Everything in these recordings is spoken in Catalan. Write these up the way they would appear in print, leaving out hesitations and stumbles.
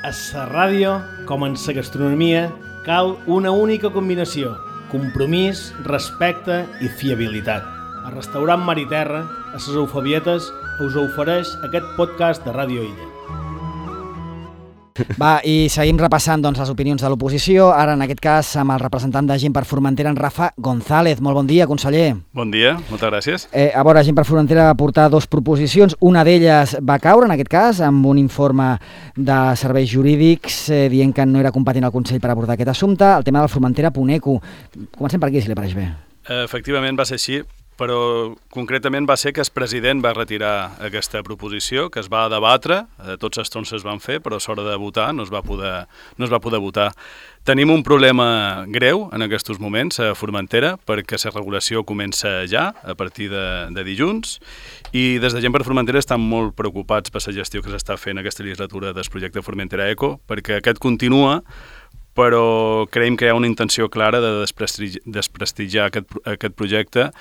A la ràdio, com en la gastronomia, cal una única combinació: compromís, respecte i fiabilitat. El restaurant Mar i Terra, a les Eufebietes, us ofereix aquest podcast de Ràdio Illa. Va, i seguim repassant les opinions de l'oposició, ara en aquest cas amb el representant de Gent per Formentera, en Rafa González. Molt bon dia, conseller. Bon dia, moltes gràcies. A veure, Gent per Formentera va portar dues proposicions, una d'elles va caure en aquest cas amb un informe de serveis jurídics dient que no era competent el Consell per abordar aquest assumpte, el tema del Formentera-Puneco. Comencem per aquí, si li pareix bé. Efectivament va ser així, però concretament va ser que el president va retirar aquesta proposició, que es va debatre, tots els torns es van fer, però a l'hora de votar no es va poder votar. Tenim un problema greu en aquests moments a Formentera, perquè la regulació comença ja, a partir de dilluns, i des de Gent per Formentera estan molt preocupats per la gestió que s'està fent aquesta legislatura del projecte Formentera Eco, perquè aquest continua, però creiem que hi ha una intenció clara de desprestigiar aquest projecte,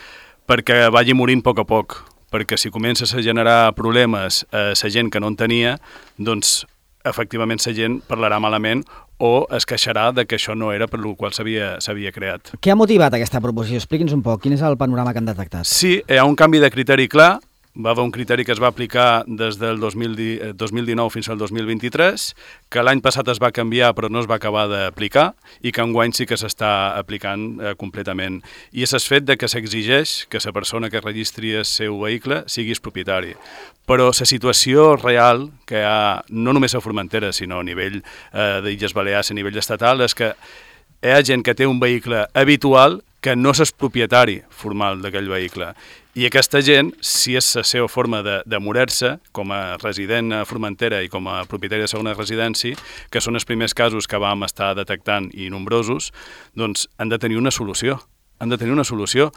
perquè vagi morint a poc, perquè si comences a generar problemes a la gent que no en tenia, doncs efectivament la gent parlarà malament o es queixarà de que això no era per el qual s'havia creat. Què ha motivat aquesta proposició? Expliqui'ns un poc, quin és el panorama que han detectat? Sí, hi ha un canvi de criteri clar. Va haver un criteri que es va aplicar des del 2019 fins al 2023, que l'any passat es va canviar però no es va acabar d'aplicar i que enguany sí que s'està aplicant completament. I és el fet de que s'exigeix que la persona que registri el seu vehicle sigui propietari. Però la situació real que hi ha, no només a Formentera, sinó a nivell d'Illes Balears, a nivell estatal, és que hi ha gent que té un vehicle habitual que no és propietari formal d'aquell vehicle. I aquesta gent, si és la seva forma de morir-se, com a resident a Formentera i com a propietari de segona residència, que són els primers casos que vam estar detectant i nombrosos, doncs han de tenir una solució. Han de tenir una solució.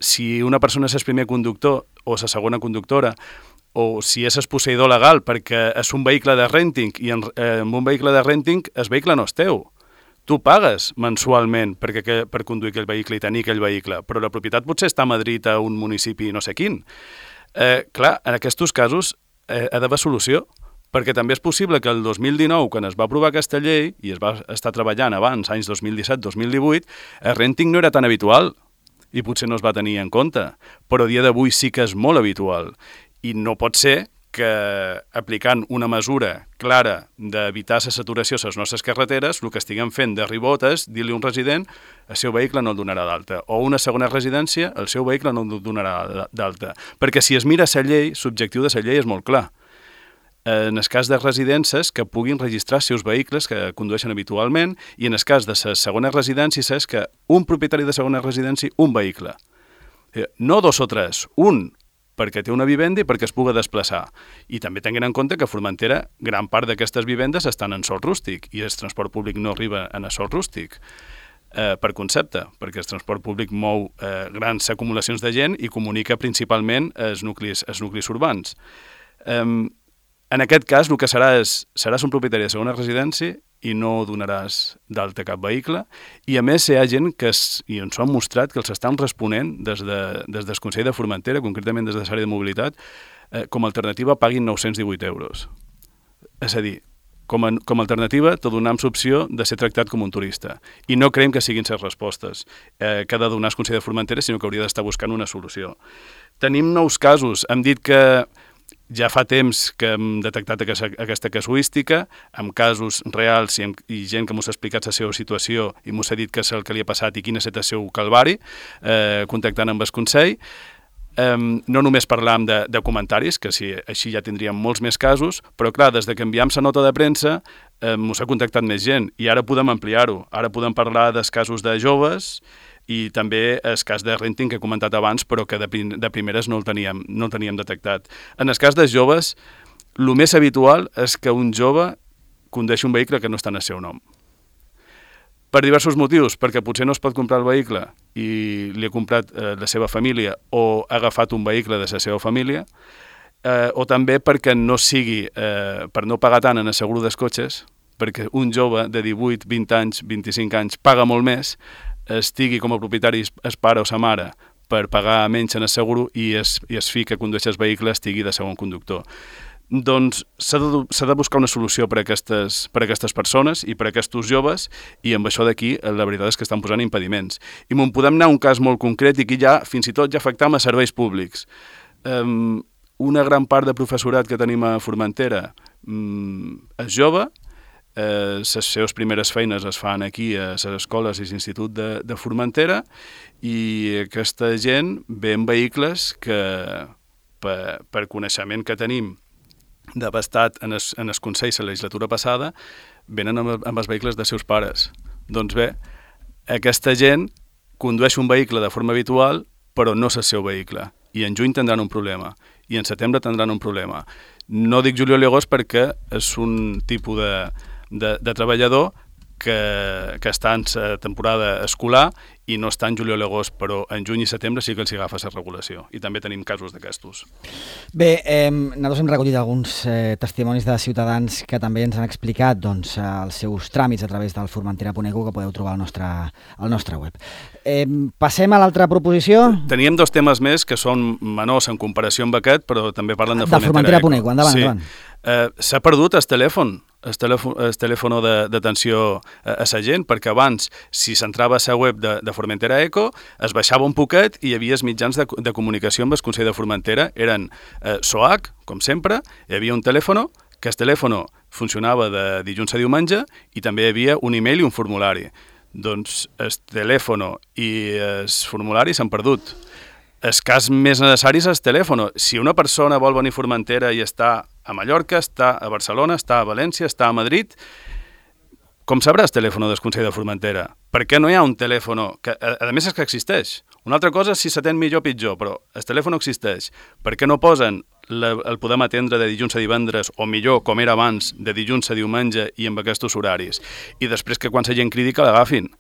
Si una persona és el primer conductor o la segona conductora, o si és el posseïdor legal perquè és un vehicle de renting i amb un vehicle de renting el vehicle no és teu. Tu pagues mensualment per conduir aquell vehicle i tenir aquell vehicle, però la propietat potser està a Madrid, a un municipi no sé quin. Clar, en aquests casos ha d'haver solució, perquè també és possible que el 2019, quan es va aprovar aquesta llei, i es va estar treballant abans, anys 2017-2018, el renting no era tan habitual i potser no es va tenir en compte, però a dia d'avui sí que és molt habitual. I no pot ser que aplicant una mesura clara d'evitar la saturació a les nostres carreteres, el que estiguem fent de ribotes, dir-li a un resident, el seu vehicle no el donarà d'alta, o una segona residència, el seu vehicle no el donarà d'alta. Perquè si es mira la llei, l'objectiu de la llei és molt clar. En el cas de residències que puguin registrar els seus vehicles que condueixen habitualment, i en el cas de les segones residències és que un propietari de segona residència, un vehicle. No dos o tres, un, perquè té una vivenda i perquè es pugui desplaçar. I també tinguin en compte que a Formentera gran part d'aquestes vivendes estan en sòl rústic i el transport públic no arriba en el sòl rústic per concepte, perquè el transport públic mou grans acumulacions de gent i comunica principalment els nuclis urbans. En aquest cas el que seràs un propietari de segona residència i no donaràs d'alta cap vehicle, i a més hi ha gent que i ens ho han mostrat que els estan responent des del Consell de Formentera, concretament des de l'àrea de mobilitat, com a alternativa paguin 918 euros. És a dir, com a alternativa te donem l'opció de ser tractat com un turista. I no creiem que siguin les respostes que ha de donar el Consell de Formentera, sinó que hauria d'estar buscant una solució. Tenim nous casos. Hem dit que ja fa temps que hem detectat aquesta casuística, amb casos reals i gent que ens ha explicat la seva situació i ens ha dit què és el que li ha passat i quin és el seu calvari, contactant amb el Consell. No només parlàvem de comentaris, que així ja tindríem molts més casos, però clar, des que enviem la nota de premsa ens ha contactat més gent i ara podem ampliar-ho. Ara podem parlar dels casos de joves i també el cas de renting que he comentat abans, però que de primeres no el teníem detectat. En el cas dels joves, el més habitual és que un jove condueixi un vehicle que no està en el seu nom. Per diversos motius, perquè potser no es pot comprar el vehicle i li ha comprat la seva família o ha agafat un vehicle de la seva família, o també perquè no sigui, per no pagar tant en el seguro dels cotxes, perquè un jove de 18, 20 anys, 25 anys paga molt més, estigui com a propietari el pare o la mare per pagar menys en el seguro i el fill que condueix el vehicle estigui de segon conductor. doncs s'ha de buscar una solució per a aquestes persones i per a aquests joves, i amb això d'aquí la veritat és que estan posant impediments. I me'n podem anar a un cas molt concret i aquí ja fins i tot ja afectam a serveis públics. Una gran part de professorat que tenim a Formentera és jove, les seves primeres feines es fan aquí a les escoles i l'institut de Formentera, i aquesta gent ve en vehicles que per coneixement que tenim d'haver estat en el Consell la legislatura passada, venen amb els vehicles dels seus pares. Doncs bé, aquesta gent condueix un vehicle de forma habitual, però no és el seu vehicle. I en juny tindran un problema, i en setembre tindran un problema. No dic juliol i agost perquè és un tipus de treballador que està en la temporada escolar i no està en juliol i agost, però en juny i setembre sí que els agafa la regulació, i també tenim casos d'aquestos. Bé, nosaltres hem recollit alguns testimonis de ciutadans que també ens han explicat doncs, els seus tràmits a través del formentera.eco, que podeu trobar al nostre web. Passem a l'altra proposició. Teníem 2 temes més que són menors en comparació amb aquest, però també parlen de Formentera.eco. Endavant. S'ha perdut el telèfon d'atenció a la gent, perquè abans, si s'entrava a la web de Formentera Eco, es baixava un poquet i hi havia els mitjans de comunicació amb el Consell de Formentera. Eren SOAC, com sempre, hi havia un telèfon, que el telèfon funcionava de dilluns a diumenge, i també hi havia un e-mail i un formulari. Doncs el telèfon i el formulari s'han perdut. El cas més necessari és el telèfon. Si una persona vol venir a Formentera i està a Mallorca, està a Barcelona, està a València, està a Madrid, com sabrà el telèfon del Consell de Formentera? Per què no hi ha un telèfon que, a més, és que existeix? Una altra cosa és si s'atén millor o pitjor, però el telèfon existeix. Per què no posen el podem atendre de dilluns a divendres, o millor, com era abans, de dilluns a diumenge i amb aquests horaris? I després que quan la gent cridi que l'agafin.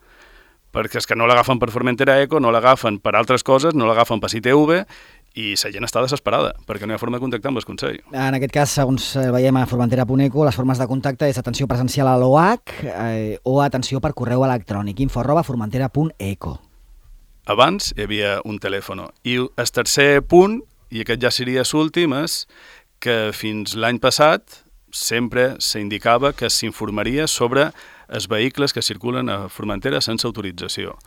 Perquè és que no l'agafen per Formentera Eco, no l'agafen per altres coses, no l'agafen per ITV, i la gent està desesperada, perquè no hi ha forma de contactar amb el Consell. En aquest cas, segons veiem a Formentera.eco, les formes de contacte és atenció presencial a l'OAC o atenció per correu electrònic, info@formentera.eco. Abans hi havia un telèfon. I el tercer punt, i aquest ja seria l'últim, és que fins l'any passat sempre s'indicava que s'informaria sobre els vehicles que circulen a Formentera sense autorització.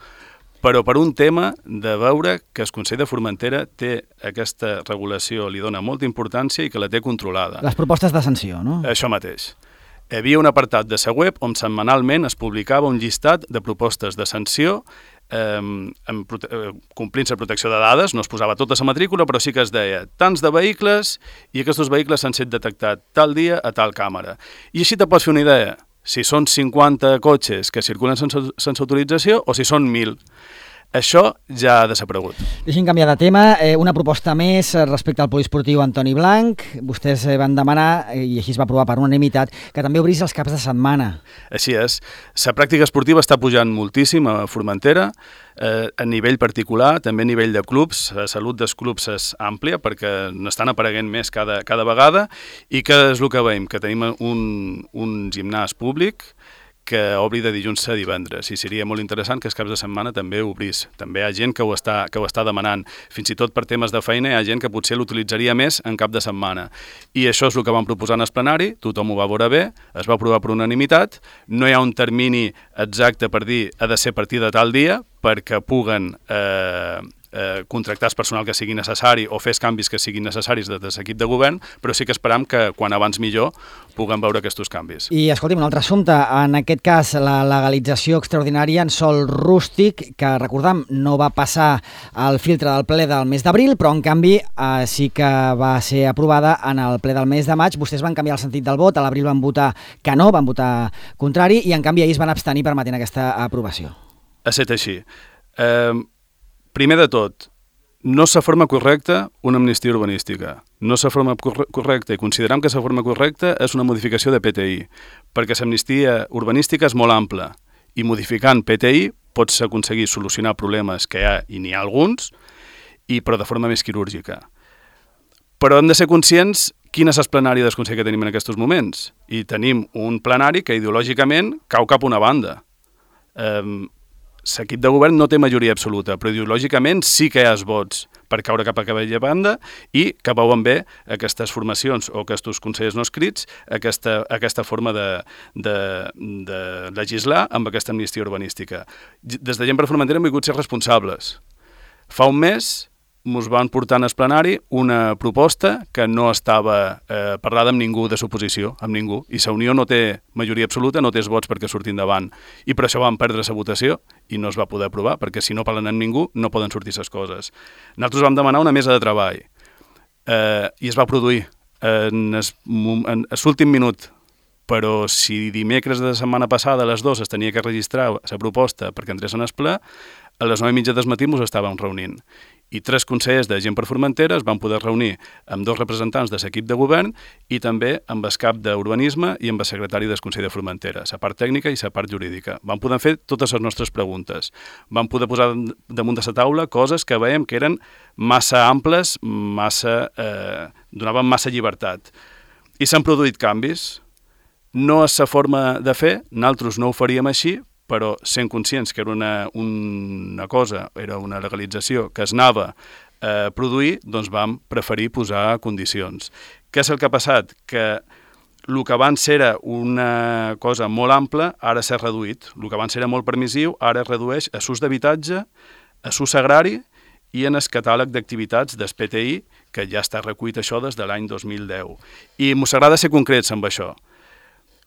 Però per un tema de veure que el Consell de Formentera té aquesta regulació, li dona molta importància i que la té controlada. Les propostes de sanció, no? Això mateix. Hi havia un apartat de la web on setmanalment es publicava un llistat de propostes de sanció complint la protecció de dades, no es posava tota la matrícula, però sí que es deia tants de vehicles i aquests vehicles s'han estat detectats tal dia a tal càmera. I així te pots fer una idea, si són 50 cotxes que circulen sense autorització o si són 1.000. Això ja ha desaparegut. Deixin canviar de tema. Una proposta més respecte al poliesportiu Antoni Blanc. Vostès van demanar, i així es va aprovar per unanimitat, que també obrís els caps de setmana. Així és. La pràctica esportiva està pujant moltíssim a Formentera, a nivell particular, també a nivell de clubs. La salut dels clubs és àmplia perquè n'estan apareguent més cada vegada, i que és el que veiem, que tenim un gimnàs públic que obri de dilluns a divendres, i seria molt interessant que els caps de setmana també obrís. També hi ha gent que ho està demanant. Fins i tot per temes de feina hi ha gent que potser l'utilitzaria més en cap de setmana. I això és el que vam proposar en el plenari, tothom ho va veure bé, es va aprovar per unanimitat, no hi ha un termini exacte per dir ha de ser a partir de tal dia, perquè puguen contractar el personal que sigui necessari o fer els canvis que siguin necessaris des de l'equip de govern, però sí que esperam que quan abans millor puguem veure aquests canvis. I escolti'm, un altre assumpte, en aquest cas la legalització extraordinària en sòl rústic, que recordam no va passar al filtre del ple del mes d'abril, però en canvi sí que va ser aprovada en el ple del mes de maig. Vostès van canviar el sentit del vot, a l'abril van votar que no, van votar contrari, i en canvi ahir es van abstenir permetent aquesta aprovació. Ha estat així. Primer de tot, no és la forma correcta una amnistia urbanística. No és la forma correcta, i considerem que la forma correcta és una modificació de PTI, perquè l'amnistia urbanística és molt ampla, i modificant PTI pots aconseguir solucionar problemes que hi ha, i n'hi ha alguns, però de forma més quirúrgica. Però hem de ser conscients quin és el plenari del Consell que tenim en aquests moments. I tenim un plenari que ideològicament cau cap a una banda. l'equip de govern no té majoria absoluta, però ideològicament sí que hi ha vots per caure cap a aquella banda i que veuen bé aquestes formacions o aquests consellers no escrits, aquesta forma de legislar amb aquesta amnistia urbanística. Des de Gent per Formentera hem volgut ser responsables. Fa un mes ens van portar en el plenari una proposta que no estava parlada amb ningú de l'oposició, amb ningú, i la Unió no té majoria absoluta, no té els vots perquè surti endavant, i per això van perdre la votació i no es va poder aprovar, perquè si no parlen amb ningú no poden sortir les coses. Nosaltres vam demanar una mesa de treball i es va produir en l'últim minut, però si dimecres de la setmana passada a les 2 es tenia que registrar la proposta perquè entrés en el ple, a les 9:30 del matí ens estàvem reunint. I 3 consellers de Gent per Formentera es van poder reunir amb 2 representants de l'equip de govern i també amb el cap d'Urbanisme i amb el secretari del Consell de Formentera, la part tècnica i la part jurídica. Vam poder fer totes les nostres preguntes. Vam poder posar damunt de la taula coses que veiem que eren massa amples, donaven massa llibertat. I s'han produït canvis. No és la forma de fer, nosaltres no ho faríem així, però sent conscients que era una cosa, era una legalització que es anava a produir, doncs vam preferir posar condicions. Què és el que ha passat? Que el que abans era una cosa molt ampla, ara s'ha reduït. El que abans era molt permissiu, ara es redueix a l'ús d'habitatge, a l'ús agrari i en el catàleg d'activitats del PTI, que ja està recollit això des de l'any 2010. I ens agrada ser concrets amb això.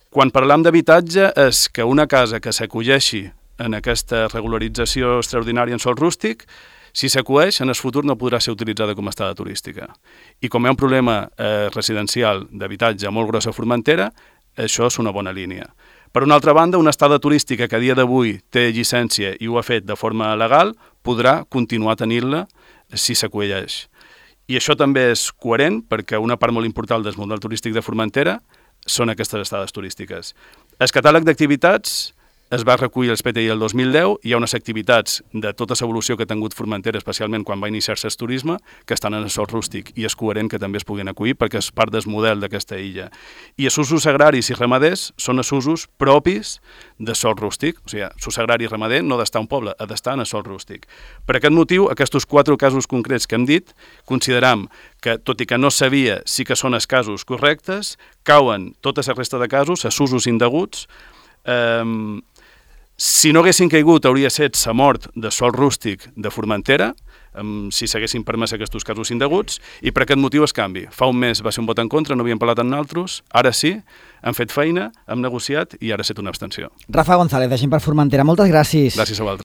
Quan parlam d'habitatge és que una casa que s'acolleixi en aquesta regularització extraordinària en sòl rústic, si s'acolleix, en el futur no podrà ser utilitzada com a estada turística. I com hi ha un problema residencial d'habitatge molt gros a Formentera, això és una bona línia. Per una altra banda, una estada turística que a dia d'avui té llicència i ho ha fet de forma legal, podrà continuar tenint-la si s'acolleix. I això també és coherent perquè una part molt important del model turístic de Formentera són aquestes estades turístiques. El catàleg d'activitats es va recollir els PTI el 2010, hi ha unes activitats de tota l'evolució que ha tingut Formentera, especialment quan va iniciar-se el turisme, que estan en el sòl rústic, i és coherent que també es puguin acollir perquè és part del model d'aquesta illa. I els usos agraris i ramaders són els usos propis de sòl rústic, o sigui, l'ús agrari i ramader no ha d'estar a un poble, ha d'estar en el sòl rústic. Per aquest motiu, aquests 4 casos concrets que hem dit, consideram que, tot i que no sabia sí que són els casos correctes, cauen tota la resta de casos, els usos indeguts. Si no haguessin caigut, hauria estat la mort de sòl rústic de Formentera, si s'haguessin permès aquests casos indeguts, i per aquest motiu es canvi. Fa un mes va ser un vot en contra, no havíem parlat amb nosaltres, ara sí, hem fet feina, hem negociat i ara ha estat una abstenció. Rafa González, de Gent per Formentera, moltes gràcies. Gràcies a vosaltres.